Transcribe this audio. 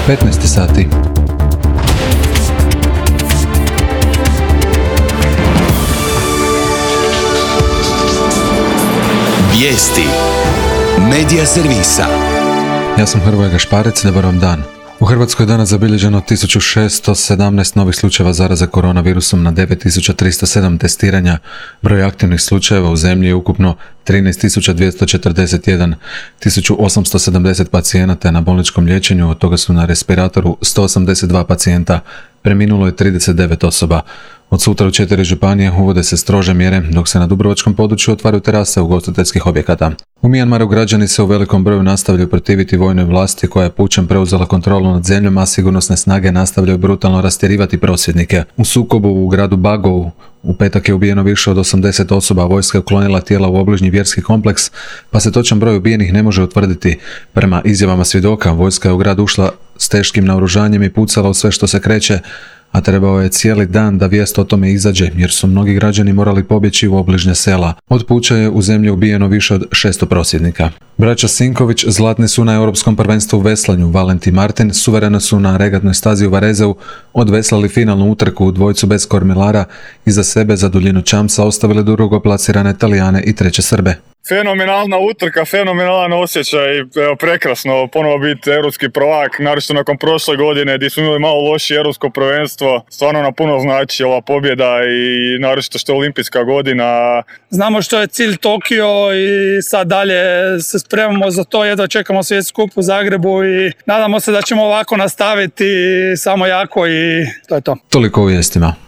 15 sati. Vijesti Medija servisa. Ja sam Hrvoje Gašparec, dobar vam dan. U Hrvatskoj je danas zabilježeno 1617 novih slučajeva zaraze koronavirusom na 9307 testiranja. Broj aktivnih slučajeva u zemlji je ukupno 13.241, 1870 pacijenata je na bolničkom liječenju, od toga su na respiratoru 182 pacijenta, preminulo je 39 osoba. Od sutra u 4 županije uvode se strože mjere, dok se na dubrovačkom području otvaraju terase ugostiteljskih objekata. U Mijanmaru građani se u velikom broju nastavljaju protiviti vojnoj vlasti koja je pučem preuzela kontrolu nad zemljom, a sigurnosne snage nastavljaju brutalno rastjerivati prosvjednike. U sukobu u gradu Bagovu u petak je ubijeno više od 80 osoba, a vojska je uklonila tijela u obližnji vjerski kompleks, pa se točan broj ubijenih ne može utvrditi. Prema izjavama svjedoka, vojska je u grad ušla s teškim naoružanjem i pucala u sve što se kreće, a trebao je cijeli dan da vijest o tome izađe, jer su mnogi građani morali pobjeći u obližnja sela. Od puča je u zemlji ubijeno više od 600 prosvjednika. Braća Sinković zlatni su na Europskom prvenstvu u veslanju. Valentin i Martin suvereno su na regatnoj stazi u Varezeu odveslali finalnu utrku u dvojcu bez kormilara, iza sebe za duljinu čamca ostavili drugoplasirane Talijane i treće Srbe. Fenomenalna utrka, fenomenalan osjećaj, prekrasno ponovo biti europski prvak, naročito nakon prošle godine gdje smo imali malo lošije europsko prvenstvo. Stvarno nam puno znači ova pobjeda i naročito što je olimpijska godina. Znamo što je cilj Tokio i sad dalje se spremamo za to, jedva čekamo svjetski kup u Zagrebu i nadamo se da ćemo ovako nastaviti samo jako i to je to. Toliko u vijestima.